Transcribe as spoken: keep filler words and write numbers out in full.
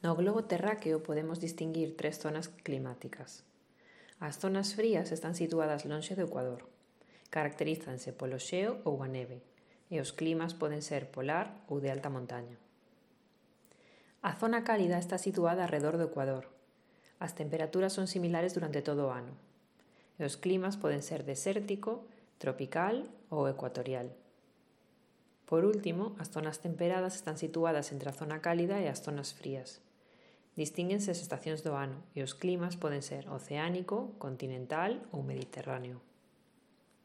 No globo terráqueo podemos distinguir tres zonas climáticas. As zonas frías están situadas lonxe do ecuador. Caracterízanse polo xeo ou a neve, e os climas poden ser polar ou de alta montaña. A zona cálida está situada arredor do ecuador. As temperaturas son similares durante todo o ano, e os climas poden ser desértico, tropical ou ecuatorial. Por último, as zonas temperadas están situadas entre a zona cálida e as zonas frías. Distínguense as estacións do ano e os climas poden ser oceánico, continental ou mediterráneo.